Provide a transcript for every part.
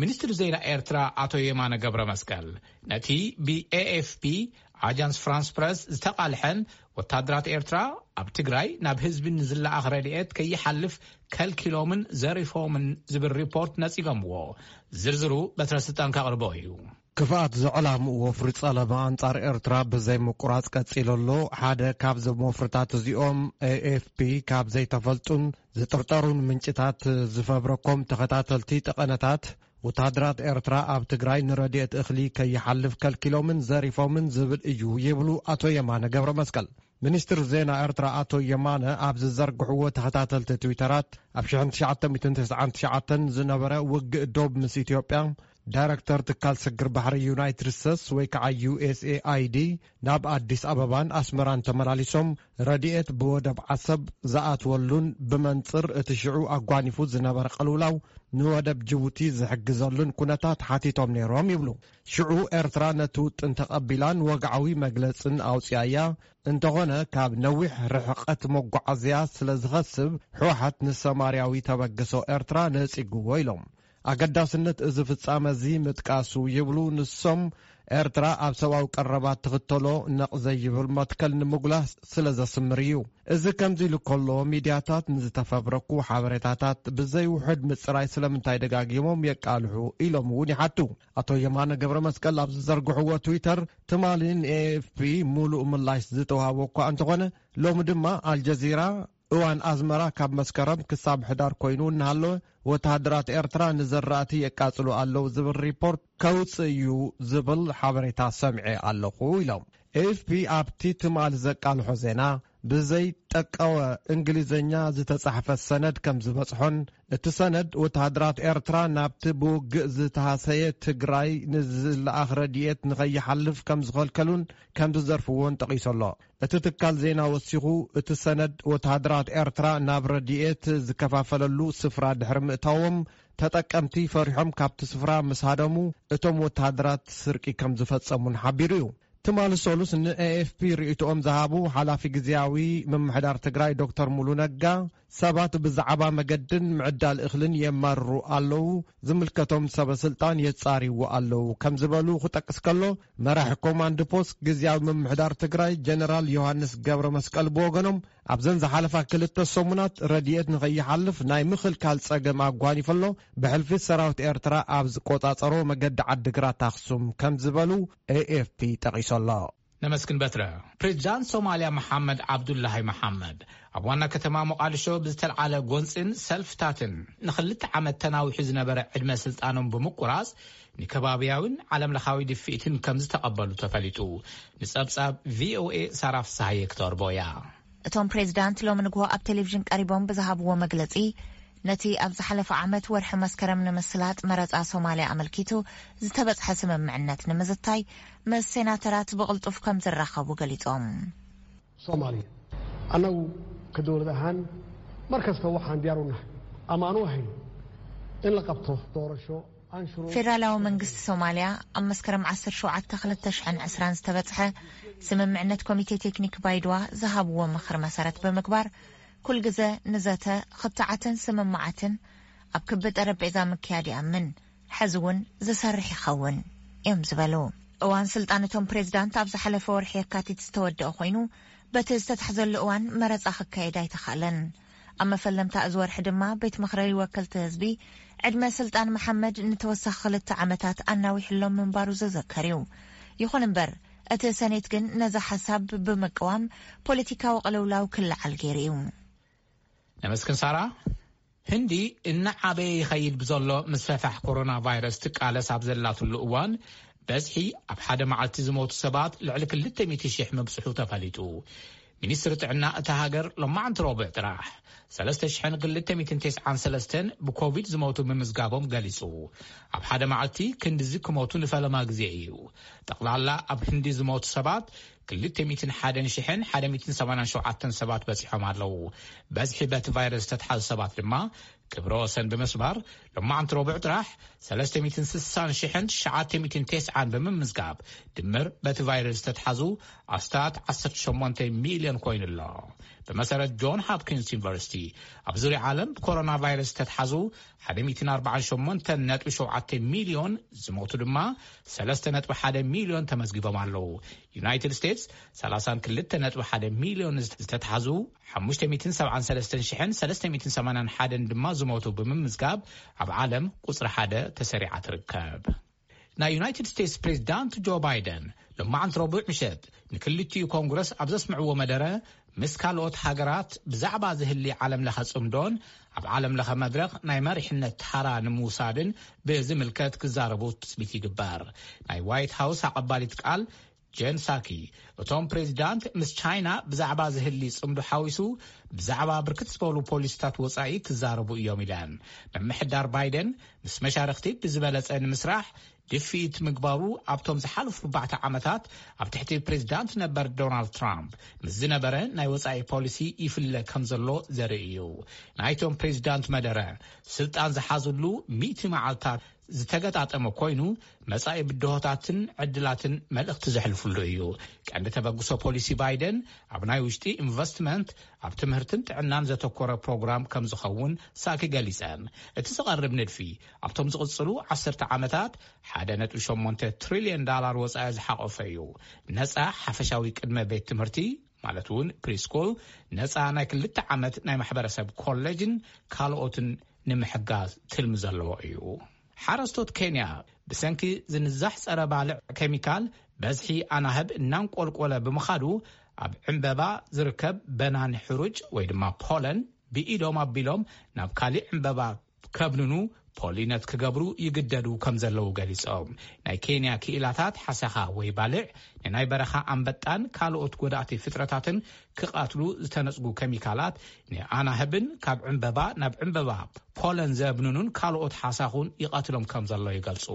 ሚኒስትሪ ዜና ኤርትራ ኣቶ የማነ ገብረ መስቀል፣ ነቲ ብ ኤ ኤፍ ፒ ኣጃንስ ፍራንስ ፕረስ ዝተቓልሐን ወታደራት ኤርትራ ኣብ ትግራይ ናብ ህዝቢ ንዝለኣኽ ረድኤት ከይሓልፍ ከልኪሎምን ዘሪፎምን ዝብል ሪፖርት ነጺጎምዎ። ዝርዝሩ በትረ ስልጣን ከቕርቦ እዩ። ክፍኣት ዘዕላምኡ ወፍሪ ጸለመ ኣንጻር ኤርትራ ብዘይ ምቁራጽ ቀጺሉ ኣሎ። ሓደ ካብዞም ወፍርታት እዚኦም፣ ኤ ኤፍ ፒ ካብ ዘይተፈልጡን ዝጥርጠሩን ምንጭታት ዝፈብረኮም ተኸታተልቲ ጠቐነታት፣ ወተሃደራት ኤርትራ ኣብ ትግራይ ንረድኤት እኽሊ ከይሓልፍ ከልኪሎምን ዘሪፎምን ዝብል እዩ ይብሉ ኣቶ የማነ ገብረ መስቀል። ሚኒስትር ዜና ኤርትራ ኣቶ የማነ ኣብ ዝዘርግሕዎ ተኸታተልቲ ትዊተራት፣ ኣብ ሽሕን ትሽዓተ ሚእትን ተስዓን ትሽዓተን ዝነበረ ውግእ ዶብ ምስ ኢትዮጵያ፣ ዳይረክተር ትካል ስግር ባሕሪ ዩናይትድ ስቴትስ ወይ ከዓ ዩ ኤስ ኤ ኣይ ዲ ናብ ኣዲስ ኣበባን ኣስመራን ተመላሊሶም ረድኤት ብወደብ ዓሰብ ዝኣትወሉን ብመንጽር እቲ ሽዑ ኣጓኒፉ ዝነበረ ቅልውላው ንወደብ ጅቡቲ ዝሕግዘሉን ኩነታት ሓቲቶም ነይሮም ይብሉ። ሽዑ ኤርትራ ነቲ ውጥን ተቐቢላን ወግዓዊ መግለጽን ኣውጺኣያ። እንተኾነ ካብ ነዊሕ ርሕቀት መጓዓዝያ ስለ ዝኸስብ፣ ህወሓት ንሰማርያዊ ተበግሶ ኤርትራ ነጺግዎ ኢሎም። ኣገዳስነት እዚ ፍጻመ እዚ ምጥቃሱ ይብሉ ንሶም፣ ኤርትራ ኣብ ሰብኣዊ ቀረባት ትኽተሎ ነቕ ዘይብል መትከል ንምጉላህ ስለ ዘስምር እዩ። እዚ ከምዚ ኢሉ ከሎ፣ ሚድያታት ንዝተፈብረኩ ሓበሬታታት ብዘይውሑድ ምጽራይ ስለምንታይ ደጋጊሞም የቃልሑ ኢሎም እውን ይሓቱ። ኣቶ የማነ ገብረ መስቀል ኣብ ዝዘርግሕዎ ትዊተር፣ ትማሊ ን ኤ ኤፍ ፒ ሙሉእ ምላሽ ዝተዋህቦ እኳ እንተኾነ፣ ሎሚ ድማ ኣልጀዚራ እዋን ኣዝመራ ካብ መስከረም ክሳብ ሕዳር ኮይኑ እናሃለወ፣ ወተሃደራት ኤርትራ ንዘራእቲ የቃጽሉ ኣለዉ ዝብል ሪፖርት ከውጽእ እዩ ዝብል ሓበሬታ ሰምዐ ኣለኹ ኢሎም። ኤ ኤፍ ፒ ኣብቲ ትማሊ ዘቃልሖ ዜና፣ ብዘይ ጠቀወ እንግሊዝኛ ዝተጻሕፈ ሰነድ ከም ዝበጽሖን፣ እቲ ሰነድ ወተሃደራት ኤርትራ ናብቲ ብውግእ ዝተሃሰየ ትግራይ ንዝለኣኽ ረድኤት ንኸይሓልፍ ከም ዝኸልከሉን ከም ዝዘርፍዎን ጠቒሱ ኣሎ። እቲ ትካል ዜና ወሲኹ፣ እቲ ሰነድ ወተሃደራት ኤርትራ ናብ ረድኤት ዝከፋፈለሉ ስፍራ ድሕሪ ምእታዎም፣ ተጠቀምቲ ፈሪሖም ካብቲ ስፍራ ምስ ሃደሙ፣ እቶም ወተሃደራት ስርቂ ከም ዝፈጸሙን ሓቢሩ እዩ። ትማሊ ሰሉስ ን ኤ ኤፍ ፒ ርእይቶኦም ዝሃቡ ሓላፊ ግዝያዊ ምምሕዳር ትግራይ ዶክተር ሙሉ ነጋ፣ ሰባት ብዛዕባ መገድን ምዕዳል እኽልን የማርሩ ኣለዉ፣ ዝምልከቶም ሰበ ስልጣን የጻርይዎ ኣለዉ ከም ዝበሉ ክጠቅስ ከሎ፣ መራሒ ኮማንድ ፖስት ግዝያዊ ምምሕዳር ትግራይ ጀነራል ዮሃንስ ገብረ መስቀል ብወገኖም፣ ኣብዘን ዝሓለፋ ክልተ ሰሙናት ረድኤት ንኸይሓልፍ ናይ ምኽልካል ጸገም ኣጓኒፈሎ፣ ብሕልፊ ሰራዊት ኤርትራ ኣብ ዝቆጻጸሮ መገዲ ዓዲግራት ኣኽሱም ከም ዝበሉ ኤ ኤፍ ፒ ጠቒሱ ኣሎ። ነመስግን በትረ። ፕሬዚዳንት ሶማልያ መሓመድ ዓብዱላሂ መሓመድ ኣብ ዋና ከተማ ሞቃዲሾ ብዝተልዓለ ጎንፅን ሰልፍታትን ንክልተ ዓመት ተናዊሑ ዝነበረ ዕድመ ስልጣኖም ብምቁራፅ ንከባብያዊን ዓለም ለኻዊ ድፍኢትን ከም ዝተቐበሉ ተፈሊጡ። ንፀብፃብ ቪ ኦ ኤ ሳራ ፍስሃየ ክተርቦ እያ። እቶም ፕሬዚዳንት ሎሚ ንግሆ ኣብ ቴሌቪዥን ቀሪቦም ብዝሃብዎ መግለፂ፣ ነቲ ኣብ ዝሓለፈ ዓመት ወርሒ መስከረም ንምስላጥ መረፃ ሶማልያ ኣመልኪቱ ዝተበፅሐ ስምምዕነት ንምዝታይ ምስ ሴናተራት ብቕልጡፍ ከም ዝራኸቡ ገሊፆም። Soomaaliya. Annagu ka dowlad ahaan mar kasta waxaan diyaar u nahay ama aan u ahayn in la qabto doorasho aan shuruud. ፌደራላዊ መንግስቲ ሶማልያ ኣብ መስከረም ዓሰርተ ሸውዓተ ክልተ ሽሕን ዕስራን ዝተበጽሐ ስምምዕነት ኮሚቴ ቴክኒክ ባይድዋ ዝሃብዎ ምኽሪ መሰረት ብምግባር፣ ኩል ግዘ ንዘተ ክትዓትን ስምምዓትን ኣብ ክቢ ጠረጴዛ ምክያድ ይኣምን፣ ሕዚ እውን ዝሰርሕ ይኸውን እዮም ዝበሉ። እዋን ስልጣን እቶም ፕሬዝዳንት ኣብ ዝሓለፈ ወርሒ የካቲት ዝተወደአ ኮይኑ፣ በቲ ዝተታሕዘሉ እዋን መረፃ ክካየድ ኣይተኻእለን። ኣብ መፈለምታ እዚ ወርሒ ድማ ቤት ምኽሪ ወከልቲ ህዝቢ ዕድመ ስልጣን መሓመድ ንተወሳኺ ክልተ ዓመታት ኣናዊሕሎም ምንባሩ ዝዝከር እዩ። ይኹን እምበር፣ እቲ ሰኔት ግን ነዚ ሓሳብ ብምቅዋም ፖለቲካዊ ቅልውላው ክለዓል ገይሩ እዩ። ነመስግን ሳራ። ህንዲ እናዓበየ ይኸይድ ብዘሎ ምስፍሕፋሕ ኮሮና ቫይረስ ትቃለስ ኣብ ዘላትሉ እዋን፣ በዝሒ ኣብ ሓደ መዓልቲ ዝሞቱ ሰባት ልዕሊ ክልተ ሚእቲ ሺሕ ምብጽሑ ተፈሊጡ። ሚኒስትሪ ጥዕና እታ ሃገር ሎማዕንቲ ረቡዕ ጥራሕ ሰለስተ ሽሕን ክልተ ሚእትን ተስዓን ሰለስተን ብኮቪድ ዝሞቱ ምምዝጋቦም ገሊጹ። ኣብ ሓደ መዓልቲ ክንድዚ ክሞቱ ንፈለማ ግዜ እዩ። ጠቕላላ ኣብ ህንዲ ዝሞቱ ሰባት ክልተ ሚእትን ሓደን ሽሕን ሓደ ሚእትን ሰማንያን ሸውዓተን ሰባት በጺሖም ኣለዉ። በዝሒ በቲ ቫይረስ ዝተትሓዙ ሰባት ድማ ክብረ ወሰን ብምስባር፣ ሎማዓንቲ ረቡዕ ጥራሕ ሰለስተ ሚእትን ስሳን ሽሕን ትሽዓተ ሚእትን ተስዓን ብምምዝጋብ፣ ድምር በቲ ቫይረስ ዝተትሓዙ ኣስታት ዓሰርተ ሸሞንተ ሚልዮን ኮይኑ ኣሎ። ብመሰረት ጆን ሆፕኪንስ ዩኒቨርሲቲ፣ ኣብ ዙርያ ዓለም ብኮሮና ቫይረስ ዝተትሓዙ ሓደ ሚእትን ኣርባዓን ሸሞንተን ነጥቢ ሸውዓተ ሚልዮን፣ ዝሞቱ ድማ ሰለስተ ነጥቢ ሓደ ሚልዮን ተመዝጊቦም ኣለዉ። ዩናይትድ ስቴትስ፣ ሰላሳን ክልተ ነጥቢ ሓደ ሚልዮን ዝተትሓዙ፣ ሓሙሽተ ሚእትን ሰብዓን ሰለስተን ሽሕን ሰለስተ ሚእትን ሰማንያን ሓደን ድማ ዝሞቱ ብምምዝጋብ፣ ኣብ ዓለም ቁጽሪ ሓደ ተሰሪዓ ትርከብ። ናይ ዩናይትድ ስቴትስ ፕሬዚዳንት ጆ ባይደን፣ ሎማዓንቲ ረቡዕ ምሸት ንክልቲኡ ኮንግረስ ኣብ ዘስምዕዎ መደረ፣ ምስ ካልኦት ሃገራት ብዛዕባ ዝህሊ ዓለም ለኸ ጽምዶን ኣብ ዓለም ለኸ መድረኽ ናይ መሪሕነት ታራ ንምውሳድን ብዝምልከት ክዛረቡ ትጽቢት ይግበር። ናይ ዋይት ሃውስ ኣቐባሊት ቃል ጀን ሳኪ፣ እቶም ፕሬዚዳንት ምስ ቻይና ብዛዕባ ዝህሊ ጽምዶ ሓዊሱ ብዛዕባ ብርክት ዝበሉ ፖሊሲታት ወጻኢ ክዛረቡ እዮም ኢለን። ምምሕዳር ባይደን ምስ መሻርኽቲ ብዝበለጸ ንምስራሕ ድፍኢት ምግባሩ ኣብቶም ዝሓለፉ ኣርባዕተ ዓመታት ኣብ ትሕቲ ፕሬዚዳንት ነበር ዶናልድ ትራምፕ ምስ ዝነበረ ናይ ወጻኢ ፖሊሲ ይፍለ ከም ዘሎ ዘርኢ እዩ። ናይቶም ፕሬዚዳንት መደረ ስልጣን ዝሓዝሉ ሚእቲ መዓልታት ዝተገጣጠመ ኮይኑ፣ መጻኢ ብድሆታትን ዕድላትን መልእኽቲ ዘሕልፍሉ እዩ። ቀንዲ ተበግሶ ፖሊሲ ባይደን ኣብ ናይ ውሽጢ ኢንቨስትመንት፣ ኣብ ትምህርትን ጥዕናን ዘተኮረ ፕሮግራም ከም ዝኸውን ሳኪ ገሊጸን። እቲ ዝቐርብ ንድፊ ኣብቶም ዝቕጽሉ ዓሰርተ ዓመታት ሓደ ነጥቢ ሸሞንተ ትሪልዮን ዳላር ወጻኢ ዝሓቆፈ እዩ። ነጻ ሓፈሻዊ ቅድመ ቤት ትምህርቲ፣ ማለት እውን ፕሪስኩል፣ ነጻ ናይ ክልተ ዓመት ናይ ማሕበረሰብ ኮሌጅን ካልኦትን ንምሕጋዝ ትልሚ ዘለዎ እዩ። ሓረስቶት ኬንያ ብሰንኪ ዝንዛሕ ጸረ ባልዕ ኬሚካል፣ በዝሒ ኣናህብ እናንቆልቆለ ብምኻዱ፣ ኣብ ዕምበባ ዝርከብ በናን ሕሩጭ ወይ ድማ ፖለን ብኢዶም ኣቢሎም ናብ ካሊእ ዕምበባ ከብንኑ፣ ፖሊነት ክገብሩ ይግደዱ ከም ዘለዉ ገሊጾም። ናይ ኬንያ ክኢላታት ሓሰኻ ወይ ባልዕ ንናይ በረኻ ኣንበጣን ካልኦት ጎዳእቲ ፍጥረታትን ክቐትሉ ዝተነጽጉ ኬሚካላት፣ ንኣናህብን ካብ ዕምበባ ናብ ዕምበባ ፖለን ዘብንኑን ካልኦት ሓሳኹን ይቐትሎም ከም ዘሎ ይገልጹ።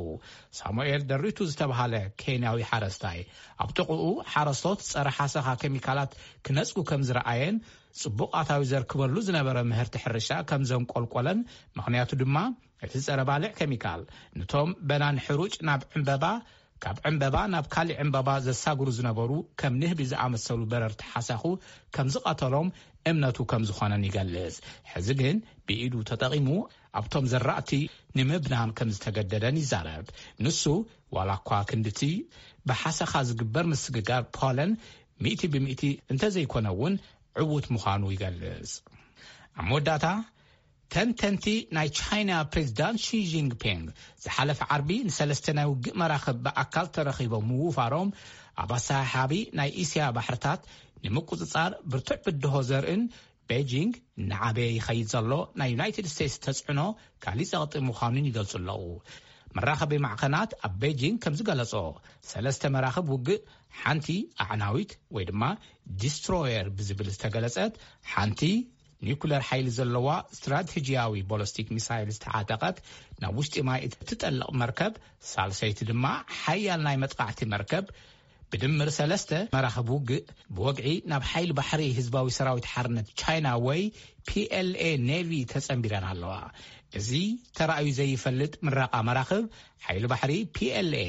ሳሙኤል ደሪቱ ዝተባሃለ ኬንያዊ ሓረስታይ፣ ኣብ ጥቕኡ ሓረስቶት ጸረ ሓሰኻ ኬሚካላት ክነጽጉ ከም ዝረኣየን፣ ጽቡቕ ኣታዊ ዘርክበሉ ዝነበረ ምህርቲ ሕርሻ ከም ዘንቆልቆለን፣ ምኽንያቱ ድማ እቲ ጸረ ባልዕ ኬሚካል፣ ንቶም በናን ሕሩጭ ናብ ዕምበባ፣ ካብ ዕምበባ ናብ ካሊእ ዕምበባ ዘሳግሩ ዝነበሩ ከም ንህቢ ዝኣመሰሉ በረርቲ ሓሳኹ ከም ዝቐተሎም እምነቱ ከም ዝኾነን ይገልጽ። ሕዚ ግን ብኢዱ ተጠቒሙ ኣብቶም ዘራእቲ ንምብናን ከም ዝተገደደን ይዛረብ። ንሱ፣ ዋላ እኳ ክንድቲ ብሓሰኻ ዝግበር ምስግጋር ፖለን ሚእቲ ብሚእቲ እንተዘይኮነ እውን፣ ዕዉት ምዃኑ ይገልጽ። ኣብ መወዳእታ፣ ተንተንቲ፣ ናይ ቻይና ፕሬዚዳንት ሺ ጂንግፒንግ ዝሓለፈ ዓርቢ ንሰለስተ ናይ ውግእ መራኽብ ብኣካል ተረኺቦም ምውፋሮም፣ ኣብ ኣሰሓሓቢ ናይ እስያ ባሕርታት ንምቁጽጻር ብርቱዕ ብድሆ ዘርእን፣ ቤጂንግ እናዓበየ ይኸይድ ዘሎ ናይ ዩናይትድ ስቴትስ ተጽዕኖ ካሊእ ጸቕጢ ምዃኑን ይገልጹ ኣለዉ። መራኸቢ ማዕኸናት ኣብ ቤጂንግ ከም ዝገለጾ፣ ሰለስተ መራኽብ ውግእ፣ ሓንቲ ኣዕናዊት ወይ ድማ ዲስትሮየር ብዝብል ዝተገለጸት፣ ሓንቲ ኒኩለር ሓይሊ ዘለዋ ስትራቴጂያዊ ቦለስቲክ ሚሳይል ዝተዓጠቐት፣ ናብ ውሽጢ ማይ እትጠልቕ መርከብ፣ ሳልሰይቲ ድማ ሓያል ናይ መጥቃዕቲ መርከብ፣ ብድምር ሰለስተ መራኽብ ውግእ ብወግዒ ናብ ሓይሊ ባሕሪ ህዝባዊ ሰራዊት ሓርነት ቻይና ወይ ፒ ኤል ኤ ኔቪ ተጸንቢረን ኣለዋ። እዚ ተራእዩ ዘይፈልጥ ምረቓ መራኽብ ሓይሊ ባሕሪ ፒ ኤል ኤ፣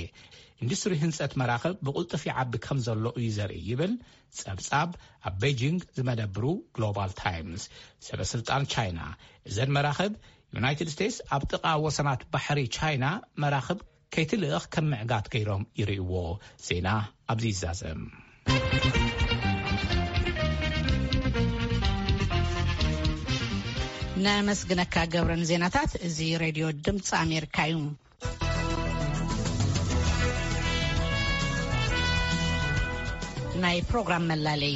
ኢንዱስትሪ ህንጸት መራኽብ ብቕልጡፍ ይዓቢ ከም ዘሎ እዩ ዘርኢ ይብል ጸብጻብ ኣብ ቤጂንግ ዝመደብሩ ግሎባል ታይምስ። ሰበ ስልጣን ቻይና፣ እዘን መራኽብ ዩናይትድ ስቴትስ ኣብ ጥቓ ወሰናት ባሕሪ ቻይና መራኽብ ከይትልእኽ ከም ምዕጋት ገይሮም ይርእይዎ። ዜና ኣብዚ ይዛዘም። ነመስግነካ ገብረን ዜናታት። እዚ ሬድዮ ድምፂ ኣሜሪካ እዩ። ናይ ፕሮግራም መላለይ።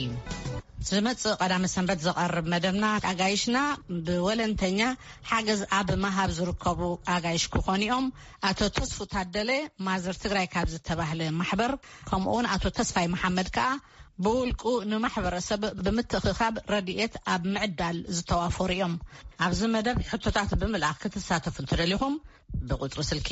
ዝመጽእ ቀዳመ ሰንበት ዝቐርብ መደብና፣ ኣጋይሽና ብወለንተኛ ሓገዝ ኣብ ምሃብ ዝርከቡ ኣጋይሽ ክኾኑ እዮም። ኣቶ ተስፉ ታደለ፣ ማዘር ትግራይ ካብ ዝተባህለ ማሕበር፣ ከምኡውን ኣቶ ተስፋይ መሓመድ ከኣ ብውልቁ ንማሕበረሰብ ብምትእኽኻብ ረድኤት ኣብ ምዕዳል ዝተዋፈሩ እዮም። ኣብዚ መደብ ሕቶታት ብምልኣኽ ክትሳተፉ እንተደሊኹም፣ ብቁጽሪ ስልኪ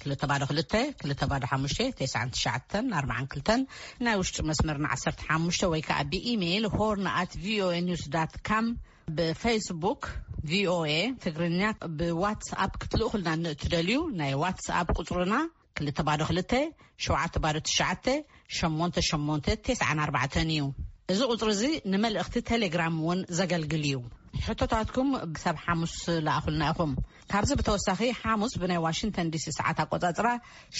ክልተ ባዶ ክልተ፣ ክልተ ባዶ ሓሙሽተ፣ ተስዓን ትሽዓተን ኣርባዓን ክልተን፣ ናይ ውሽጢ መስመርና ዓሰርተ ሓሙሽተ ወይ ከኣ ብኢሜይል ሆርን ኣት ቪኦኤ ኒውስ ዳት ካም፣ ብፌስቡክ ቪኦኤ ትግርኛ ብዋትስኣፕ ክትልእኹልና ንእትደልዩ፣ ናይ ዋትስኣፕ ቁጽርና ክልተ ባዶ ክልተ ሸውዓተ ባዶ ትሽዓተ ሸሞንተ ሸሞንተ ተስዓን ኣርባዕተን እዩ። እዚ ቁጽሪ እዚ ንመልእኽቲ ቴሌግራም እውን ዘገልግል እዩ። ሕቶታትኩም ክሳብ ሓሙስ ለኣኹልና ኢኹም። ካብዚ ብተወሳኺ፣ ሓሙስ ብናይ ዋሽንግተን ዲሲ ሰዓት ኣቆጻጽራ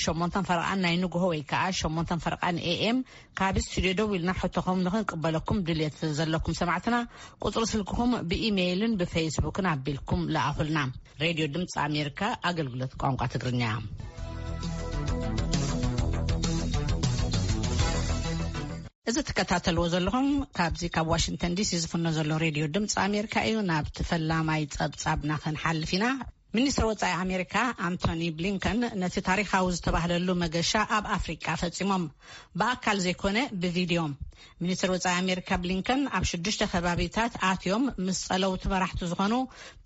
ሸሞንተን ፈረቓን ናይ ንግሆ ወይ ከኣ ሸሞንተን ፈረቓን ኤ ኤም፣ ካብ ስቱድዮ ደው ኢልና ሕቶኹም ንኽንቅበለኩም ድልየት ዘለኩም ሰማዕትና፣ ቁጽሪ ስልክኹም ብኢሜይልን ብፌስቡክን ኣቢልኩም ለኣኹልና። ሬድዮ ድምፂ ኣሜሪካ፣ ኣገልግሎት ቋንቋ ትግርኛ። እዚ ትከታተልዎ ዘለኹም ካብዚ ካብ ዋሽንግተን ዲሲ ዝፍኖ ዘሎ ሬድዮ ድምፂ ኣሜሪካ እዩ። ናብቲ ፈላማይ ጸብጻብና ክንሓልፍ ኢና። ሚኒስትር ወጻኢ ኣሜሪካ ኣንቶኒ ብሊንከን ነቲ ታሪኻዊ ዝተባህለሉ መገሻ ኣብ ኣፍሪቃ ፈጺሞም፣ ብኣካል ዘይኮነ ብቪድዮ። ሚኒስትር ወጻኢ ኣሜሪካ ብሊንከን ኣብ ሽዱሽተ ከባቢታት ኣትዮም ምስ ጸለውቲ መራሕቲ ዝኾኑ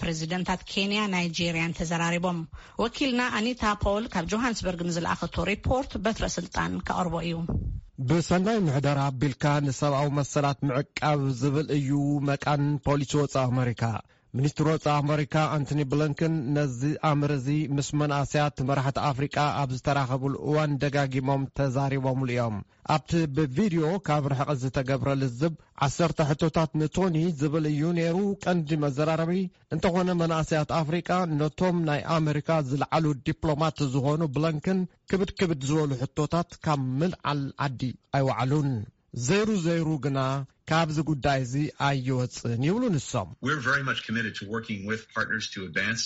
ፕሬዚደንታት ኬንያ፣ ናይጄርያን ተዘራሪቦም። ወኪልና ኣኒታ ፖል ካብ ጆሃንስበርግ ንዝለኣኸቶ ሪፖርት በትረ ስልጣን ከቕርቦ እዩ። ብሰናይ ምሕደራ ኣቢልካ ንሰብኣዊ መሰላት ምዕቃብ ዝብል እዩ መቃን ፖሊሲ ወጻኢ ኣሜሪካ። ሚኒስትር ወጻኢ ኣሜሪካ ኣንቶኒ ብሊንከን ነዚ ኣምር እዚ ምስ መናእሰያት መራሕቲ ኣፍሪቃ ኣብ ዝተራኸቡሉ እዋን ደጋጊሞም ተዛሪቦምሉ እዮም። ኣብቲ ብቪድዮ ካብ ርሕቂ ዝተገብረ ልዝብ፣ ዓሰርተ ሕቶታት ንቶኒ ዝብል እዩ ነይሩ ቀንዲ መዘራረቢ። እንተኾነ፣ መናእሰያት ኣፍሪቃ ነቶም ናይ ኣሜሪካ ዝለዓሉ ዲፕሎማት ዝኾኑ ብሊንከን ክብድ ክብድ ዝበሉ ሕቶታት ካብ ምልዓል ዓዲ ኣይወዓሉን። ዘይሩ ዘይሩ ግና ካብዚ ጉዳይ እዚ ኣይወጽእን ይብሉ ንሶም። We're very much committed to working with partners to advance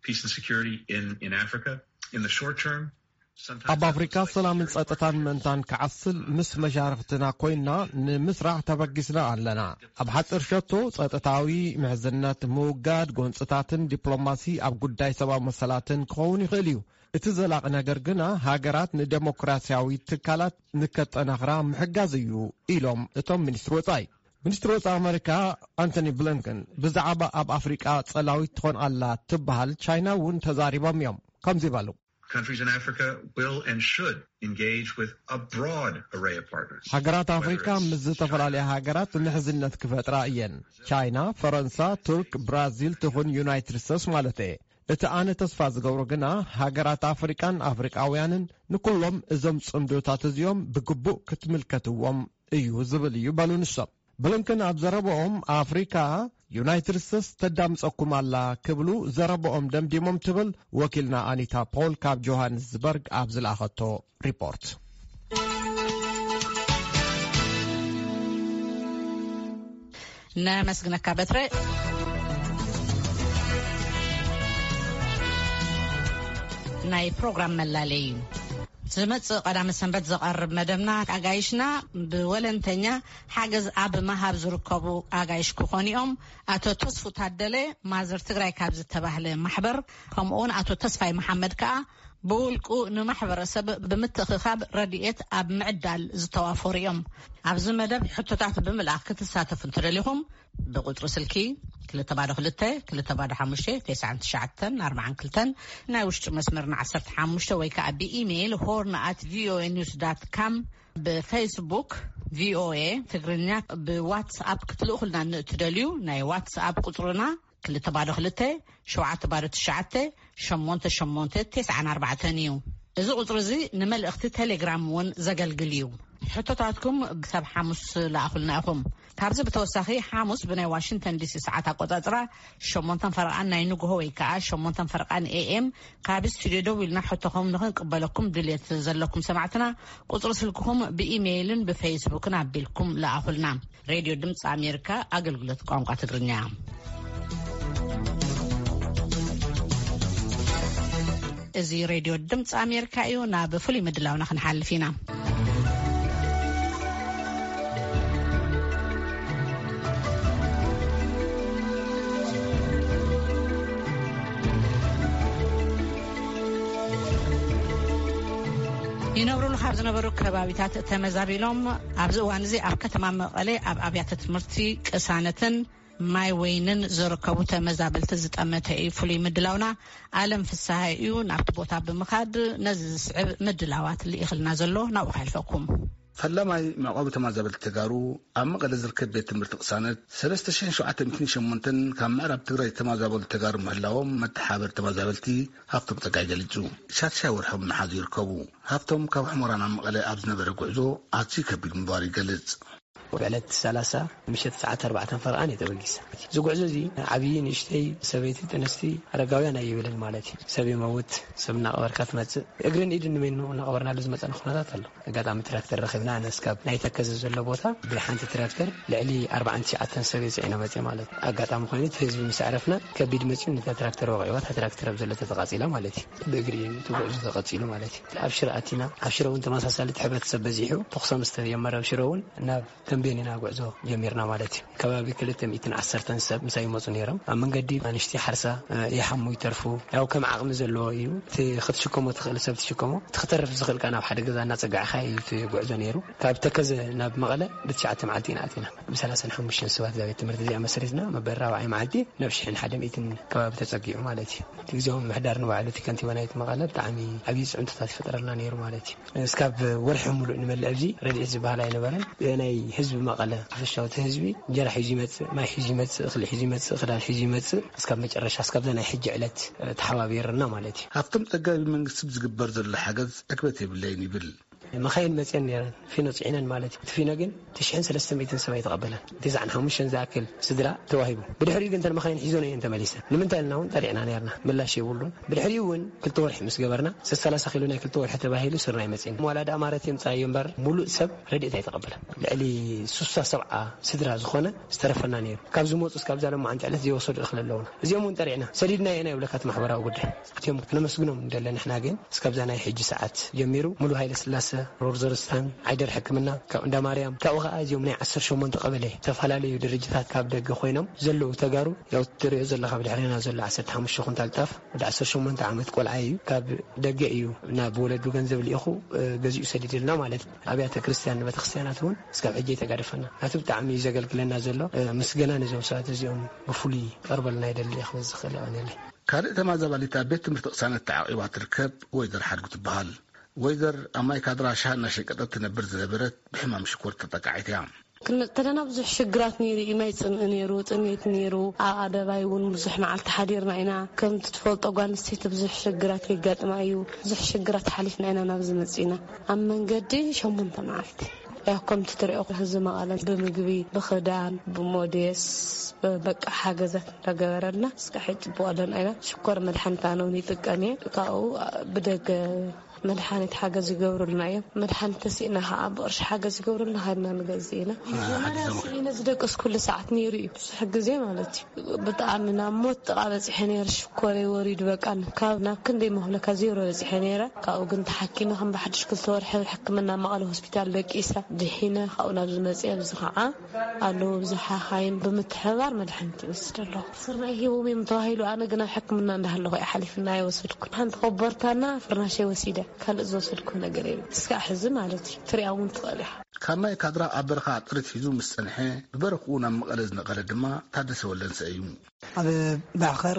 peace and security in, in Africa. In the short term, sometimes ኣብ that ኣፍሪካ looks like ሰላምን sharing ጸጥታን partnerships. ምእንታን ክዓስል ምስ መሻርኽትና ኮይና ንምስራሕ ተበጊስና ኣለና። ኣብ ሓፂር ሸቶ ጸጥታዊ ምሕዝነት ምውጋድ፣ ጎንፅታትን ዲፕሎማሲ ኣብ ጉዳይ ሰብኣዊ መሰላትን ክኸውን ይኽእል እዩ። እቲ ዘላቒ ነገር ግና ሃገራት ንደሞክራሲያዊ ትካላት ንከጠናኽራ ምሕጋዝ እዩ ኢሎም እቶም ሚኒስትሪ ወጻኢ። ሚኒስትሪ ወጻኢ ኣሜሪካ ኣንቶኒ ብሊንከን ብዛዕባ ኣብ ኣፍሪቃ ጸላዊት ትኾን ኣላ ትበሃል ቻይና እውን ተዛሪቦም እዮም። ከምዚ በሉ። Countries in Africa will and should engage with a broad array of partners. ሃገራት ኣፍሪካ ምስ ዝተፈላለያ ሃገራት ምሕዝነት ክፈጥራ እየን። ቻይና፣ ፈረንሳ፣ ቱርክ፣ ብራዚል ትኹን ዩናይትድ ስቴትስ ማለት እየ። እቲ ኣነ ተስፋ ዝገብሮ ግና ሃገራት ኣፍሪቃን ኣፍሪቃውያንን ንኩሎም እዞም ጽምዶታት እዚኦም ብግቡእ ክትምልከትዎም እዩ ዝብል እዩ በሉ ንሶም። ብሊንከን ኣብ ዘረባኦም ኣፍሪካ ዩናይትድ ስቴትስ ተዳምጸኩም ኣላ ክብሉ ዘረባኦም ደምዲሞም ትብል ወኪልና ኣኒታ ፖል ካብ ጆሃንስበርግ ኣብ ዝለኣኸቶ ሪፖርት። ነመስግነካ በትረ። ናይ ፕሮግራም መላለይ እዩ። ዝመጽእ ቀዳመ ሰንበት ዝቐርብ መደብና ኣጋይሽና ብወለንተኛ ሓገዝ ኣብ ምሃብ ዝርከቡ ኣጋይሽ ክኾኑ እዮም። ኣቶ ተስፉ ታደለ ማዘር ትግራይ ካብ ዝተባህለ ማሕበር፣ ከምኡውን ኣቶ ተስፋይ መሓመድ ከኣ ብውልቁ ንማሕበረሰብ ብምትእኽኻብ ረድኤት ኣብ ምዕዳል ዝተዋፈሩ እዮም። ኣብዚ መደብ ሕቶታት ብምልኣኽ ክትሳተፉ እንትደሊኹም ብቁጽሪ ስልኪ ክልተ ባዶ ክልተ ክልተ ባዶ ሓሙሽተ ተስዓን ትሽዓተን ኣርባዓን ክልተን፣ ናይ ውሽጢ መስመርና ዓሰርተ ሓሙሽተ ወይ ከኣ ብኢሜይል ሆርን ኣት ቪኦኤ ኒውስ ዳት ካም፣ ብፌስቡክ ቪኦኤ ትግርኛ፣ ብዋትስኣፕ ክትልእኹልና ንእትደልዩ ናይ ዋትስኣፕ ቁጽርና ክልተ ባዶ ክልተ ሸውዓተ ባዶ ትሽዓተ ሸሞንተ ሸሞንተ ተስዓን ኣርባዕተን እዩ። እዚ ቁጽሪ እዚ ንመልእኽቲ ቴሌግራም እውን ዘገልግል እዩ። ሕቶታትኩም ክሳብ ሓሙስ ለኣኹልና ኢኹም። ካብዚ ብተወሳኺ፣ ሓሙስ ብናይ ዋሽንግተን ዲሲ ሰዓት ኣቆጻጽራ ሸሞንተን ፈረቓን ናይ ንግሆ ወይ ከኣ ሸሞንተን ፈረቓን ኤ ኤም፣ ካብ ስቱድዮ ደው ኢልና ሕቶኹም ንኽንቅበለኩም ድልየት ዘለኩም ሰማዕትና፣ ቁጽሪ ስልክኹም ብኢሜይልን ብፌስቡክን ኣቢልኩም ለኣኹልና። ሬድዮ ድምፂ ኣሜሪካ፣ ኣገልግሎት ቋንቋ ትግርኛ። እዚ ሬድዮ ድምፂ ኣሜሪካ እዩ። ናብ ፍሉይ ምድላውና ክንሓልፍ ኢና። ይነብሩሉ ካብ ዝነበሩ ከባቢታት ተመዛቢሎም ኣብዚ እዋን እዚ ኣብ ከተማ መቐለ ኣብ ኣብያተ ትምህርቲ ቅሳነትን ማይ ወይንን ዝርከቡ ተመዛበልቲ ዝጠመተ እዩ። ፍሉይ ምድላውና ኣለም ፍስሃ እዩ። ናብቲ ቦታ ብምኻድ ነዚ ዝስዕብ ምድላዋት ልኢኽልና ዘሎ ናብኡ ከሕልፈኩም። ፈላማይ መዕቆቢ ተመዛበልቲ ተጋሩ ኣብ መቐለ ዝርከብ ቤት ትምህርቲ ቅሳነት ሰለስተ ሽሕን ሸውዓተ ሚእትን ሸሞንተን ካብ ምዕራብ ትግራይ ዝተመዛበሉ ተጋሩ ምህላዎም መተሓባበሪ ተመዛበልቲ ሃፍቶም ጸጋይ ገሊጹ። ሻድሻይ ወርሖም እናሓዙ ይርከቡ። ሃፍቶም ካብ ሕሞራ ናብ መቐለ ኣብ ዝነበረ ጉዕዞ ኣዝዩ ከቢድ ምንባሩ ይገልጽ። ብዕለት ሰላሳ ምሸት ሰዓት ኣርባዕተን ፈረቓን እየ ተበጊሰ። እዚ ጉዕዞ እዚ ዓብዪ፣ ንእሽተይ፣ ሰበይቲ፣ ጥንስቲ፣ ኣረጋውያን ኣይብልን ማለት እዩ። ሰብ ይመውት፣ ሰብ እናቐበርካ ትመጽእ። እግርን ኢድን ንበይኑ እናቐበርናሉ ዝመጸና ኩነታት ኣሎ። ኣጋጣሚ ትራክተር ረኺብና፣ ኣነስ ካብ ናይ ተከዘ ዘሎ ቦታ ብሓንቲ ትራክተር ልዕሊ ኣርባዓን ትሽዓተን ሰብ እየ ጽዒነ መጽየ ማለት እዩ። ኣጋጣሚ ኮይኑ እቲ ህዝቢ ምስ ኣዕረፍና ከቢድ መጽዩ ነታ ትራክተር ወቒዕዋ፣ እታ ትራክተር ኣብ ዘሎ ተተቓጺላ ማለት እዩ። ብእግሪ እዩ እቲ ጉዕዞ ተቐጺሉ ማለት እዩ። ኣብ ሽረ ኣቲና፣ ኣብ ሽረ እውን ተመሳሳሊ እቲ ሕብረተሰብ በዚሑ፣ ተኹሲ ምስ ተጀመረ ኣብ ሽረ እውን ናብ ተምቤን ኢና ጉዕዞ ጀሚርና ማለት እዩ። ከባቢ ክልተ ሚእትን ዓሰርተን ሰብ ምሳይ ይመጹ ነይሮም። ኣብ መንገዲ ኣንሽቲ ሓርሳ፣ እ፣ ይሓሙ ይተርፉ። ያው ከም ዓቕሚ ዘለዎ እዩ። እቲ ክትሽከሞ ትኽእል ሰብ ትሽከሞ፣ እቲ ክተርፍ ዝኽእል ከኣ ናብ ሓደ ገዛ እናጸጋዕካ እዩ እቲ ጉዕዞ ነይሩ። ካብ ተከዘ ናብ መቐለ ብትሽዓተ መዓልቲ ኢና ኣቲና። ብሰላሳን ሓሙሽተን ሰባት እዛ ቤት ትምህርቲ እዚኣ መስሪትና፣ መበል ራብዓይ መዓልቲ ናብ ሽሕን ሓደ ሚእትን ከባቢ ተጸጊዑ ማለት እዩ። እቲ ግዜያዊ ምምሕዳር ንባዕሉ፣ እቲ ከንቲባ ናይቲ መቐለ፣ ብጣዕሚ ዓብዪ ጽዕንቶታት ይፈጥረልና ነይሩ ማለት እዩ። እስካብ ወርሒ ሙሉእ ንመልእ ኣብዚ ረድኤት ዝበሃል ኣይነበረን። ናይ ህዝቢ መቐለ ሓፈሻዊ፣ እቲ ህዝቢ እንጀራ ሒዙ ይመጽእ፣ ማይ ሒዙ ይመጽእ፣ እኽሊ ሒዙ ይመጽእ፣ ክዳን ሒዙ ይመጽእ። እስካብ መጨረሻ፣ እስካብዛ ናይ ሕጂ ዕለት፣ እ፣ ተሓባቢርና ማለት እዩ። ሃፍቶም ጸጋይ ብመንግስቲ ብዝግበር ዘሎ ሓገዝ ዕግበት የብለይን ይብል። መኻይን መጽየን ነይረን፣ ፊኖ ጽዒነን ማለት እዩ። እቲ ፊኖ ግን ትሽሕን ሰለስተ ሚእትን ሰብ ኣይተቐበለን። ትስዓን ሓሙሽተን ዝኣክል ስድራ ተዋሂቡ። ብድሕሪኡ ግን እተን መኻይን ሒዞን እየን ተመሊሰን። ንምንታይ ኢልና እውን ጠሪዕና ነይርና፣ ምላሽ የብሉን። ብድሕሪኡ እውን ክልተ ወርሒ ምስ ገበርና፣ ሰላሳ ኪሎ ናይ ክልተ ወርሒ ተባሂሉ ስርናይ መጺእና። ዋላ ደኣ ማረት የምጻዮ እምበር፣ ሙሉእ ሰብ ረድኤት ኣይተቐበለን። ልዕሊ ሱሳ ሰብዓ ስድራ ዝኾነ ዝተረፈና ነይሩ። ካብ ዝመጹ እስካብ እዛ ሎማዓንቲ ዕለት ዘይወሰዱ እኽሊ ኣለውና። እዚኦም እውን ጠሪዕና፣ ሰዲድናዮ ኢና ይብለካ እቲ ማሕበራዊ ጉዳይ። እቲኦም ክነመስግኖም እንደለ፣ ንሕና ግን እስካብዛ ናይ ሕጂ ሰዓት ጀሚሩ፣ ሙሉ ሃይለ ስላሰ፣ ሮርዘርስታን፣ ዓይደር ሕክምና፣ ካብ እንዳ ማርያም፣ ካብኡ ኸዓ እዚኦም ናይ ዓሰርተ ሸሞንተ ቀበሌ ዝተፈላለዩ ድርጅታት ካብ ደገ ኮይኖም ዘለዉ ተጋሩ፣ ያው ትሪኦ ዘለኻ ብድሕሬና ዘሎ ዓሰርተ ሓሙሽተ ኩንታል ጣፍ፣ ወዲ ዓሰርተ ሸሞንተ ዓመት ቆልዓ እዩ። ካብ ደገ እዩ ናብ ወለዱ ገንዘብ ልኢኹ፣ እ፣ ገዚኡ ሰዲድልና ማለት እዩ። ኣብያተ ክርስቲያን ንቤተ ክርስቲያናት እውን እስካብ ሕጂ የተጋደፈና። ናቱ ብጣዕሚ እዩ ዘገልግለና ዘሎ። እ፣ ምስገና ነዞም ሰባት እዚኦም ብፍሉይ ቀርበልና ይደሊ እየ ክብል ዝኽእል። የቐንየለይ። ካልእ ተመዛባሊት ኣብ ቤት ትምህርቲ ቅሳነት ተዓቂባ ትርከብ ወይዘር ሓድጉ ትበሃል። ወይዘር ኣብ ማይ ካድራ ሻሂ እናሸቀጠት ትነብር ዝነበረት ብሕማም ሽኮር ተጠቃዒት እያ። ክንመጽእ ከለና ብዙሕ ሽግራት ነይሩ እዩ። ማይ ጽምኢ ነይሩ፣ ጥሜት ነይሩ። ኣብ ኣደባይ እውን ብዙሕ መዓልቲ ሓዲርና ኢና። ከምቲ ትፈልጦ ጓል ኣንስተይቲ ብዙሕ ሽግራት የጋጥማ እዩ። ብዙሕ ሽግራት ሓሊፍና ኢና ናብዚ መጺእና። ኣብ መንገዲ ሸሞንተ መዓልቲ። ያው ከምቲ ትሪኦ ህዝቢ መቐለ ብምግቢ፣ ብኽዳን፣ ብሞዴስ፣ በቃ ሓገዛት እንዳገበረልና እስካብ ሕጂ ጽቡቕ ኣለና ኢና። ሽኮር መድሓኒት ኣነ እውን ይጥቀም እየ። ካብኡ ብደገ መድሓኒት ሓገዝ ይገብሩልና እዮም። መድሓኒት ተሲእና ከዓ ብቕርሺ ሓገዝ ይገብሩልና፣ ሃድና ንገዝእ ኢና። አ፣ ሓዲዞም። ስኢነ ዝደቀስኩሉ ሰዓት ነይሩ እዩ፣ ብዙሕ ግዜ ማለት እዩ። ብጣዕሚ ናብ ሞት ጥቓ በፂሐ ነይረ። ሽኮረይ ወሪዱ፣ በቃ ካብ ናብ ክንደይ መኽለካ ዜሮ በፂሐ ነይረ። ካብኡ ግን ተሓኪመ ከም ብሓድሽ ክልተ ወርሒ ሕክምና መቐለ ሆስፒታል ደቂሰ ድሒነ፣ ካብኡ ናብዚ መፅየ። ኣብዚ ከዓ ኣለዉ ብዙሓ ሓይም ብምትሕብባር መድሓኒት ይወስድ ኣለኹ። ስርናይ ሂቦም እዮም ተባሂሉ፣ ኣነ ግን ኣብ ሕክምና እንዳሃለኹ እየ ሓሊፍና ኣይወሰድኩን። ሓንቲ ኮቦርታና ፍርናሸይ ወሲደ፣ ካልእ ዝወሰድኩ ነገር የለን። እስካዕ ሕዚ ማለት እዩ፣ ትሪኣ እውን ትኽእል ኢኻ። ካብ ማይ ካድራ ኣብ በረኻ ጥሪት ሒዙ ምስ ጸንሐ፣ ብበረኽኡ ናብ መቐለ ዝነቐለ ድማ ታደሰ ወልደንሰ እዩ። ኣብ ባሕኸር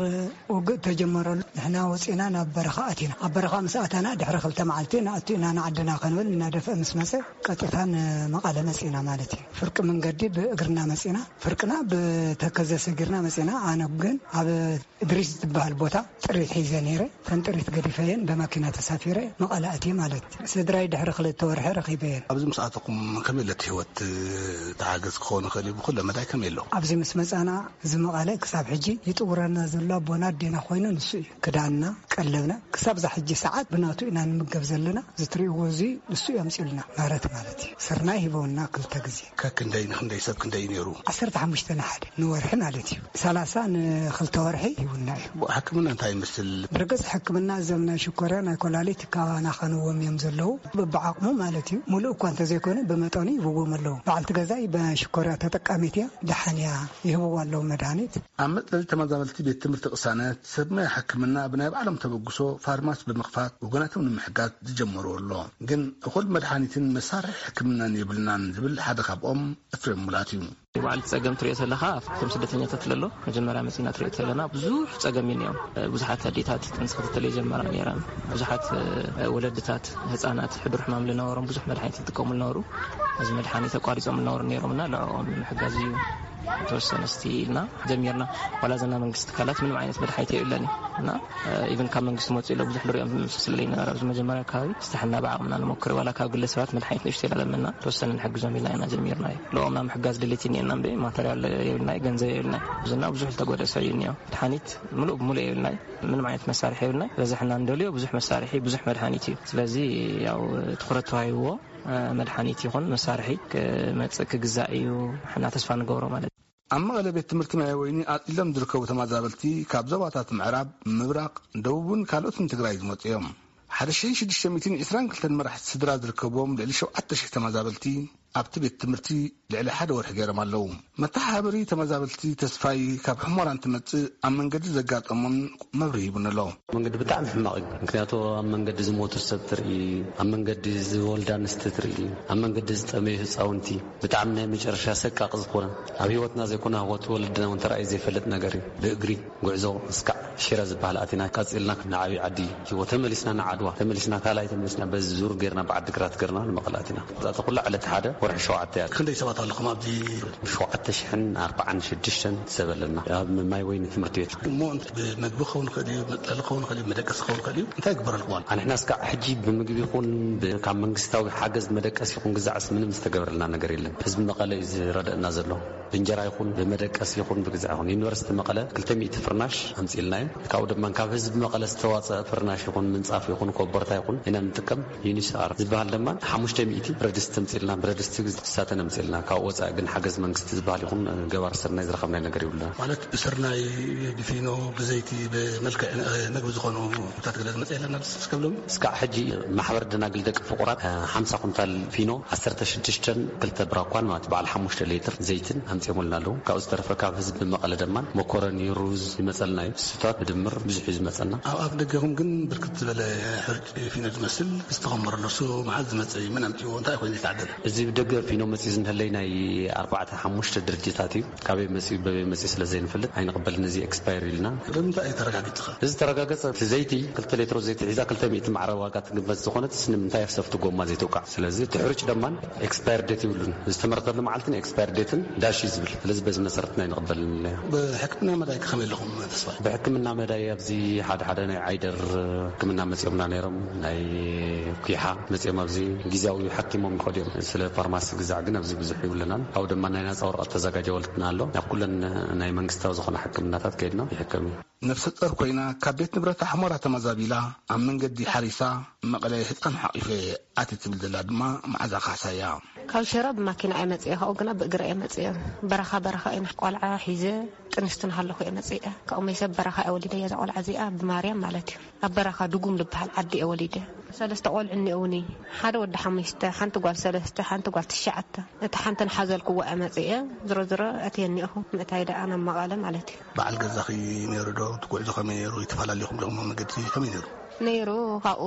ውግእ ተጀመረሉ፣ ንሕና ወፂና ናብ በረኻ ኣቲና። ኣብ በረኻ ምስ ኣታና ድሕሪ ክልተ መዓልቲ ንኣቱ ኢና ንዓድና ክንብል እናደፍአ ምስ መፀ፣ ቀጥታ ንመቐለ መፂና ማለት እዩ። ፍርቂ መንገዲ ብእግርና መፂና፣ ፍርቅና ብተከዘ ሰጊርና መፂና። ኣነ ግን ኣብ እድሪስ ዝበሃል ቦታ ጥሪት ሒዘ ነይረ። ተን ጥሪት ገዲፈየን ብመኪና ተሳፊረ መቐለ ኣትየ ማለት እዩ። ስድራይ ድሕሪ ክልተ ወርሒ ረኺበየን። ኣብዚ ምስ ኣተኹም ከመይ ኣሎ እቲ ህይወት? ተሓገዝ ክኸውን ይኽእል እዩ፣ ብኩለ መዳይ ከመይ ኣሎ? ኣብዚ ምስ መጻና እዚ መቐለ ክሳብ ሕጂ ይጥውረና ዘሎ ኣቦና ኣዴና ኮይኑ ንሱ እዩ። ክዳንና፣ ቀለብና ክሳብ እዛ ሕጂ ሰዓት ብናቱ ኢና ንምገብ ዘለና። እዚ ትርእይዎ እዚ ንሱ እዩ ኣምጺኡልና፣ ምህረት ማለት እዩ። ስርናይ ሂበውና ክልተ ግዜ። ከክንደይ ንክንደይ ሰብ ክንደይ እዩ ነይሩ? ዓሰርተ ሓሙሽተ ንሓደ ንወርሒ ማለት እዩ። ሰላሳ ንክልተ ወርሒ ሂቡና እዩ። ሕክምና እንታይ ይመስል? ብርግጽ ሕክምና እዞም ናይ ሽኮርያ ናይ ኮላሊት ካባና ከንዎም እዮም ዘለዉ። በብዓቕሙ ማለት እዩ። ሙሉእ እኳ እንተዘይኮነ ብመጠኑ ይህብዎም ኣለዉ። በዓልቲ ገዛይ ብሽኮርያ ተጠቃሚት እያ። ደሓን እያ። ይህብዋ ኣለዉ መድሃኒት። ኣብ መጽለሊ ተመዛበልቲ ቤት ትምህርቲ ቅሳነት ሰብ ሞያ ሕክምና ብናይ ባዕሎም ተበግሶ ፋርማሲ ብምኽፋት ወገናቶም ንምሕጋዝ ዝጀመርዎ ኣሎ። ግን እኹል መድሓኒትን መሳርሒ ሕክምናን የብልናን ዝብል ሓደ ካብኦም እፍሬም ሙላት እዩ። በዓል ጸገም ትሪኦ ዘለኻ ኣብቶም ስደተኛታት ለሎ መጀመርያ መጺና ትሪኦ ዘለና ብዙሕ ጸገም እዩ ነዮም። ብዙሓት ኣዴታት ጥንሲ ክትትል የጀመራ ነይረን። ብዙሓት ወለድታት፣ ህጻናት፣ ሕዱር ሕማም ዝነበሮም ብዙሕ መድሓኒት ዝጥቀሙ ዝነበሩ፣ እዚ መድሓኒት ኣቋሪጾም ዝነበሩ ነይሮምና ንዕኦም ንምሕጋዝ እዩ። ተወሰነ ስቲ ኢልና ጀሚርና። ዋላ ዘና መንግስቲ ትካላት ምንም ዓይነት መድሓኒት የብለን እዩ እና ኢቨን ካብ መንግስቲ መፅኡ ኢለ ብዙሕ ንሪኦም ስለለይ ነበረ ኣብዚ መጀመርያ ኣካባቢ ስታሕና ብዓቕምና ንሞክር ዋላ ካብ ግለሰባት መድሓኒት ንእሽቶ ኢላ ለመና ተወሰነ ንሕግዞም ኢልና ኢና ጀሚርና እዩ። ልኦም ናብ ምሕጋዝ ድሌት እኒኤና እምበ ማተርያል የብልናይ፣ ገንዘብ የብልናይ። ብዙና ብዙሕ ዝተጎደ ሰብ እዩ እኒኦ። መድሓኒት ምሉእ ብምሉእ የብልናይ። ምንም ዓይነት መሳርሒ የብልናይ። በዝሕና እንደልዮ ብዙሕ መሳርሒ ብዙሕ መድሓኒት እዩ። ስለዚ ያው ትኩረት ተዋሂብዎ መድሓኒት ይኹን መሳርሒ ክመፅእ ክግዛእ እዩ። ሕና ተስፋ ንገብሮ ማለት እዩ። ኣብ መቐለ ቤት ትምህርቲ ማይ ወይኒ ኣፅሊሎም ዝርከቡ ተመዛበልቲ ካብ ዞባታት ምዕራብ፣ ምብራቕ፣ ደቡብን ካልኦትን ትግራይ ዝመፁ እዮም። ሓደ ሽሕን ሽዱሽተ ሚእትን ዕስራን ክልተን መራሕቲ ስድራ ዝርከብዎም ልዕሊ ሸውዓተ ሽሕ ተመዛበልቲ ኣብቲ ቤት ትምህርቲ ልዕሊ ሓደ ወርሒ ገይሮም ኣለዉ። መተሓባበሪ ተመዛበልቲ ተስፋይ ካብ ሕሞራ እንትመጽእ ኣብ መንገዲ ዘጋጠሞን መብርሂ ሂቡኒ ኣሎ። መንገዲ ብጣዕሚ ሕማቕ እዩ። ምክንያቱ ኣብ መንገዲ ዝሞቱ ሰብ ትርኢ፣ ኣብ መንገዲ ዝወልዳ ኣንስቲ ትርኢ፣ ኣብ መንገዲ ዝጠመዩ ህፃውንቲ ብጣዕሚ ናይ መጨረሻ ሰቃቂ ዝኾነ ኣብ ህይወትና ዘይኮነ ኣብ ህይወት ወለድና እውን ተራእዩ ዘይፈልጥ ነገር እዩ። ብእግሪ ጉዕዞ እስካዕ ሽረ ዝበሃል ኣቲና ቀፂልና ንዓብዪ ዓዲ ሂቦ ተመሊስና ንዓድዋ ተመሊስና ካልኣይ ተመሊስና በዚ ዙር ገይርና ብዓዲ ግራት ገርና ንመቐለ ኣቲና። እዛ ኩላ ዕለት ሓደ ወርሒ ሸውዓተ እያ። ክንደይ ሰባት ኣለኹም ኣብዚ? ሸውዓተ ሽሕን ኣርባዓን ሽዱሽተን ሰብ ኣለና ኣብ ማይ ወይኒ ትምህርቲ ቤት። እሞ ብመግቢ ክኸውን ይኽእል እዩ፣ መፅለሊ ክኸውን ይኽእል እዩ፣ መደቀሲ ክኸውን ይኽእል እዩ። እንታይ ይግበረልኩም ኣሎ? ኣንሕና እስካዕ ሕጂ ብምግቢ ይኹን ብ-፣ ካብ መንግስታዊ ሓገዝ መደቀሲ ይኹን ግዛዕስ ምንም ዝተገበረልና ነገር የለን። ህዝቢ መቐለ እዩ ዝረደእና ዘሎ። ብእንጀራ ይኹን ብመደቀሲ ይኹን ብግዛዕ ይኹን ዩኒቨርሲቲ መቐለ ክልተ ሚእቲ ፍርናሽ ኣምፂልና እዩ። ካብኡ ድማ ካብ ህዝቢ መቐለ ዝተዋፀአ ፍርናሽ ይኹን ምንፃፍ ይኹን ኮቦርታ ይኹን ኢና ንጥቀም። ዩኒስኣር ዝበሃል ድማ ሓሙሽተ ሚእቲ ብረድስቲ ኣምፂልና፣ ብረድስቲ ሳተን ኣምፂልና። ካብ ወፃኢ ግን ሓገዝ መንግስቲ ዝበሃል ይኹን ገባር ስርናይ ዝረኸብናይ ነገር ይብሉና። ማለት ብስርናይ፣ ብፊኖ፣ ብዘይቲ፣ ብመልክዕ መግቢ ዝኾኑ ምግብታት ገለ ዝመፀ የለን ኣብዚ እስከብሎም? እስካዕ ሕጂ ማሕበር ደናግል ደቂ ፍቑራት ሓምሳ ኩንታል ፊኖ፣ ዓሰርተ ሽዱሽተን ክልተ ብራኳን ማለት በዓል ሓሙሽተ ሌትር ዘይትን ኣምፂኦምልና ኣለዉ። ካብኡ ዝተረፈ ካብ ህዝቢ መቐለ ደማን መኮረኒ፣ ሩዝ ይመፀልና እዩ። ስታት ብድምር ብዙሕ እዩ ዝመፀና። ኣብ ኣፍ ደገኹም ግን ብርክት ዝበለ ሕርጭ ፊኖ ዝመስል ዝተኸመረሉ እሱ መዓዝ ዝመፀ እዩ? መን ኣምፅዎ? እንታይ ኮይኑ ዝተዓደለ? እዚ ብደገ ፊኖ መፂኡ ዝንህለይ ናይ ኣርባዕተ ሓሙሽተ ድርጅታት እዩ። ካበይ መፂኡ በበይ መፂኡ ስለ ዘይንፈልጥ ኣይንቕበልን። እዚ ኤክስፓየር ኢልና። ብምንታይ እዩ ተረጋጊፅኻ? እዚ ተረጋገፀ እቲ ዘይቲ ክልተ ሌትሮ ዘይቲ ሒዛ ክልተ ሚእቲ ማዕረ ዋጋ ትግመት ዝኾነት ንምንታይ ኣብ ሰፍቲ ጎማ ዘይትውቃዕ? ስለዚ እቲ ሕርጭ ደማን ኤክስፓየር ዴት ይብሉን ዝተመረተሉ መዓልትን ኤክስፓየር ዴትን ዳሽ እዩ ዝብል። ስለዚ በዚ መሰረት ናይ ንቕበል ንለዮ። ብሕክምና መዳይ ከመይ ኣለኹም ተስፋ? ብሕክምና መዳይ ኣብዚ ሓደ ሓደ ናይ ዓይደር ሕክምና መፂኦምና ነይሮም፣ ናይ ኩሓ መፂኦም ኣብዚ ግዜያዊ ሓኪሞም ይኸዱ እዮም። ስለ ፋርማሲ ግዛዕ ግን ኣብዚ ብዙሕ ይብለናል። ካብኡ ድማ ናይ ናፃ ወረቐት ተዘጋጀወልና ኣሎ። ናብ ኩለን ናይ መንግስታዊ ዝኾነ ሕክምናታት ከይድና ይሕከም እዩ። ነፍሰ ጡር ኮይና ካብ ቤት ንብረት ኣሕሞራ ተመዛቢላ ኣብ መንገዲ ሓሪሳ መቐለ ህፃን ሓቂፈ ኣቲ ትብል ዘላ ድማ መዓዛ ካሕሳ እያ። ካብ ሽረ ብማኪና እየ መፅየ፣ ካብኡ ግና ብእግረ እየ መፅየ። በረኻ በረኻ እየ ቆልዓ ሒዘ ጥንስቲ እናሃለኹ እየ መፅየ። ካብኡ መይሰብ በረኻ እየ ወሊደያ እዛ ቆልዓ እዚኣ ብማርያም ማለት እዩ። ኣብ በረኻ ድጉም ዝበሃል ዓዲ እየ ወሊደ። ሰለስተ ቆልዑ እኒኦውኒ፣ ሓደ ወዲ ሓሙሽተ፣ ሓንቲ ጓል ሰለስተ፣ ሓንቲ ጓል ትሽዓተ። እቲ ሓንቲ ንሓዘልክዎ እየ መፅየ። ዝሮ ዝሮ እቲ እኒኦኹ ምእታይ ደኣ ናብ መቐለ ማለት እዩ። በዓል ገዛኺ ነይሩ ዶ? እቲ ጉዕዞ ከመይ ነይሩ? ይተፈላለኹም ዲኹም ኣብ መገዲ ከመይ ነይሩ? ነይሩ። ካብኡ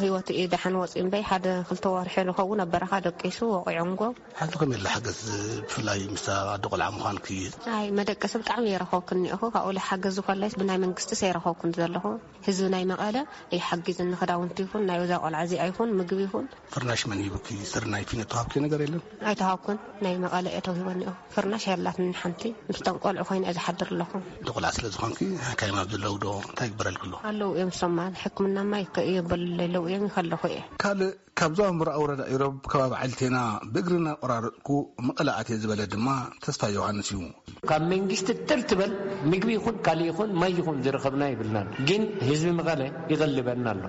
ህይወቱ እዩ ደሓን ወፂኡ እምበይ ሓደ ክልተ ወርሒ ንኸውን ኣብ በረኻ ደቂሱ ወቂዖምጎ። ሓንቲ ከመይ ኢላ ሓገዝ ብፍላይ ምስ ኣደ ቆልዓ ምዃንኪ? ኣይ መደቀሲ ብጣዕሚ የረኸብኩ እኒኦኹ። ካብኡ ሓገዝ ዝኾላይስ ብናይ መንግስቲ ሰይረኸብኩን ዘለኹ። ህዝቢ ናይ መቐለ ይሓግዝኒ፣ ክዳውንቲ ይኹን ናይ እዛ ቆልዓ እዚኣ ይኹን ምግቢ ይኹን። ፍርናሽ መን ሂቡኪ? ስርናይ ፊኖ ተዋህብኪ ነገር የለን? ኣይተዋህብኩን። ናይ መቐለ እየ ተውሂቦ እኒኦ። ፍርናሽ የላትን ሓንቲ። ምስቶም ቆልዑ ኮይነ እየ ዝሓድር ኣለኹ። እንደ ቆልዓ ስለ ዝኾንኪ ሓካይም ኣብ ዘለዉ ዶ እንታይ ይግበረልኪ ኣሎ? ኣለዉ እዮም ሰማን ሕክምናማ ይከ-፣ የበሉለይ ኣለዉ እዮም ይኸለኹ እየ። ካልእ ካብ ዞባ ምብራቕ ወረዳ ኢሮብ ከባቢ ዓሊቴና ብእግሪ እናቆራረጥኩ መቐለ ኣትየ ዝበለ ድማ ተስፋ ዮሃንስ እዩ። ካብ መንግስቲ ጥር ትበል ምግቢ ይኹን ካልእ ይኹን ማይ ይኹን ዝረኸብና ይብልናን። ግን ህዝቢ መቐለ ይቐልበና ኣሎ።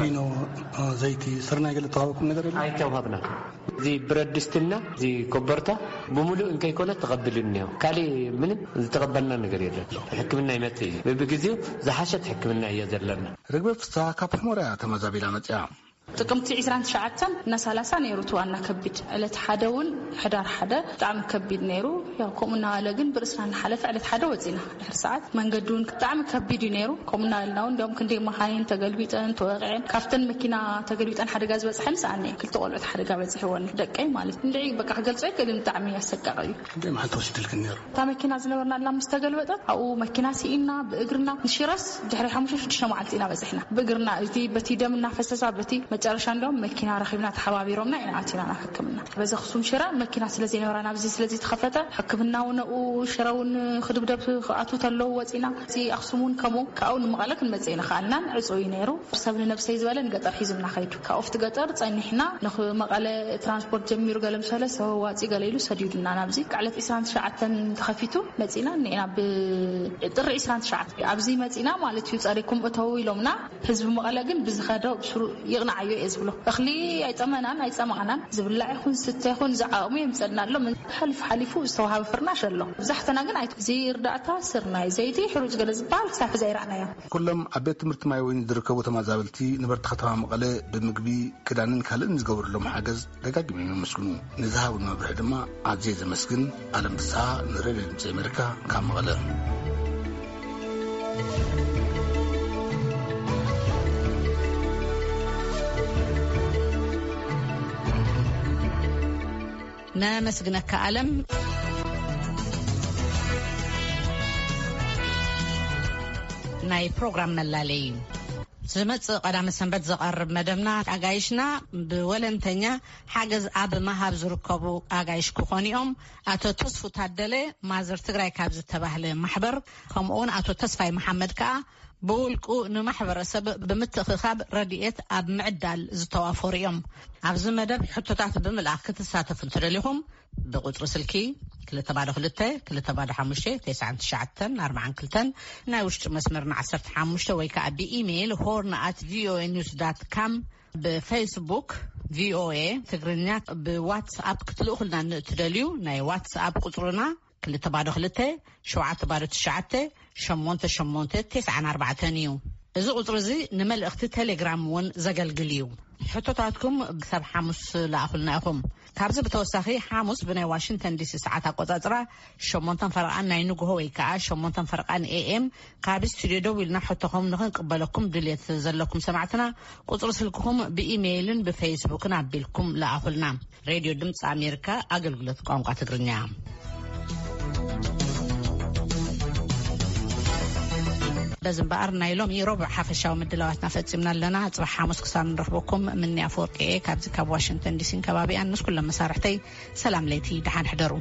ፊኖ፣ ዘይቲ፣ ስርናይ ገለ ተዋህበኩም ነገር የለን? ኣይተዋህብና። እዚ ብረት ድስትና እዚ ኮበርታ ብምሉእ እንከይኮነ ተቐቢሉ እኒኦ። ካልእ ምንም ዝተቐበልና ነገር የለን። ሕክምና ይመጽእ እዩ። በብግዜው ዝሓሸት ሕክምና እያ ዘለና። ርግበ ፍስሃ ካብ ሕሞራ እያ ተመዛቢላ መጽያ። ጥቅምቲ ዕስራን ትሽዓተን እና ሰላሳ ነይሩ እቲ ዋና ከቢድ። ዕለት ሓደ እውን፣ ሕዳር ሓደ፣ ብጣዕሚ ከቢድ ነይሩ። ያው ከምኡ እናበለ ግን ብርእስና እናሓለፈ ዕለት ሓደ ወፂና። ድሕሪ ሰዓት መንገዲ እውን ብጣዕሚ ከቢድ እዩ ነይሩ። ከምኡ እናበልና እውን እንዲያውም ክንደይ መኻይን ተገልቢጠን ተወቂዐን፣ ካብተን መኪና ተገልቢጠን ሓደጋ ዝበፅሐን ሰኣን እየ። ክልተ ቆልዑት ሓደጋ በፂሕወን፣ ደቀይ ማለት። እንድዒ በቃ ክገልጾ ኣይክእልን፣ ብጣዕሚ ኣሰቃቂ እዩ። ክንደይ መዓልቲ ወሲድልክን ነይሩ? እታ መኪና ዝነበርና ኣላ ምስ ተገልበጠት፣ ኣብኡ መኪና ስኢና ብእግርና ንሽረስ ድሕሪ ሓሙሽተ ሽዱሽተ መዓልቲ ኢና በፂሕና ብእግርና። እቲ በቲ ደም እናፈሰሳ፣ በቲ መጨረሻ እንዲያውም መኪና ረኺብና ተሓባቢሮምና ኢና ኣቲና ናብ ሕክምና። በዚ ኣኽሱም ሽረ መኪና ስለ ዘይነበራ፣ ናብዚ ስለ ዘይተኸፈተ፣ ሕክምና እውን ኣብኡ ሽረ እውን ክድብደብ ክኣትዉ ተለዉ ወፂና። እዚ ኣኽሱም እውን ከምኡ ካብኡ ንመቐለ ክንመፅእ ኣይንኸኣልናን፣ ዕፁው እዩ ነይሩ። ሰብ ንነብሰይ ዝበለ ንገጠር ሒዙና ኸይዱ። ካብኡ ኣብቲ ገጠር ጸኒሕና ንኽ-፣ መቐለ ትራንስፖርት ጀሚሩ፣ ገለ ምስ በለ ሰብ ኣዋጺ ገለ ኢሉ ሰዲዱና ናብዚ። ዕለት ዕስራን ትሽዓተን ተኸፊቱ መጺና እኒኤና። ብጥሪ ዕስራን ትሽዓተን ኣብዚ መጺና ማለት እዩ፣ ጸሪኩም እተዉ ኢሎምና። ህዝቢ መቐለ ግን ብዝኸደ ብስሩ ይቕናዓዮ እየ ዝብሎ። እኽሊ ኣይጠመናን ኣይጸማቕናን፣ ዝብላዕ ይኹን ዝስተ ይኹን ዝዓቕሙ የምጸልና ኣሎ። ሓሊፉ ሓሊፉ ዝተዋሃበ ፍርናሽ ኣሎ። ብዛሕትና ግን ኣይ-፣ እዚ እርዳእታ ስርናይ፣ ዘይቲ፣ ሕሩጭ ገለ ዝበሃል ክሳብ ሕዚ ኣይረኣናዮን። ኩሎም ኣብ ቤት ትምህርቲ ማይ ወይኒ ዝርከቡ ተመዛበልቲ ነበርቲ ከተማ መቐለ ብምግቢ፣ ክዳንን ካልእን ዝገበሩሎም ሓገዝ ደጋጊሞም የመስግኑ። ንዝሃቡኒ መብርሒ ድማ ኣዝየ ዘመስግን። ኣለም ፍስሃ፣ ንሬድዮ ድምፂ ኣሜሪካ፣ ካብ መቐለ። ነመስግነካ ኣለም። ናይ ፕሮግራም መላለይ እዩ። ዝመጽእ ቀዳመ ሰንበት ዝቐርብ መደብና፣ ኣጋይሽና ብወለንተኛ ሓገዝ ኣብ ምሃብ ዝርከቡ ኣጋይሽ ክኾኑ እዮም። ኣቶ ተስፉ ታደለ፣ ማዘር ትግራይ ካብ ዝተባህለ ማሕበር፣ ከምኡውን ኣቶ ተስፋይ መሓመድ ከኣ ብውልቁ ንማሕበረሰብ ብምትእኽኻብ ረድኤት ኣብ ምዕዳል ዝተዋፈሩ እዮም። ኣብዚ መደብ ሕቶታት ብምልኣኽ ክትሳተፉ እንትደሊኹም፣ ብቁጽሪ ስልኪ ክልተ ባዶ ክልተ፣ ክልተ ባዶ ሓሙሽተ፣ ተስዓን ትሽዓተን ኣርባዓን ክልተን፣ ናይ ውሽጢ መስመርና ዓሰርተ ሓሙሽተ፣ ወይ ከኣ ብኢሜይል ሆርን ኣት ቪኦኤ ኒውስ ዳት ካም፣ ብፌስቡክ ቪኦኤ ትግርኛ፣ ብዋትስኣፕ ክትልእኹልና ንእትደልዩ፣ ናይ ዋትስኣፕ ቁጽርና ክልተ ባዶ ክልተ፣ ሸውዓተ ባዶ ትሽዓተ፣ ሸሞንተ ሸሞንተ፣ ተስዓን ኣርባዕተን እዩ። እዚ ቁጽሪ እዚ ንመልእኽቲ ቴሌግራም እውን ዘገልግል እዩ። ሕቶታትኩም ክሳብ ሓሙስ ለኣኹልና ኢኹም። ካብዚ ብተወሳኺ፣ ሓሙስ ብናይ ዋሽንግተን ዲሲ ሰዓት ኣቆጻጽራ ሸሞንተን ፈረቓን ናይ ንግሆ ወይ ከኣ ሸሞንተን ፈረቓን ኤኤም፣ ካብ ስቱድዮ ደዊልና ሕቶኹም ንኽንቅበለኩም ድልየት ዘለኩም ሰማዕትና፣ ቁጽሪ ስልክኹም ብኢሜይልን ብፌስቡክን ኣቢልኩም ለኣኹልና። ሬድዮ ድምፂ ኣሜሪካ፣ ኣገልግሎት ቋንቋ ትግርኛ። በዚ እምበኣር፣ ናይ ሎሚ ረቡዕ ሓፈሻዊ ምድላዋትና ፈጺምና ኣለና። ጽባሕ ሓሙስ ክሳብ ንረኽበኩም፣ ምኒ ኣፈወርቂ እየ፣ ካብዚ ካብ ዋሽንግተን ዲሲን ከባቢኣን፣ ምስ ኩሎም መሳርሕተይ ሰላም ለይቲ፣ ደሓን ሕደሩ።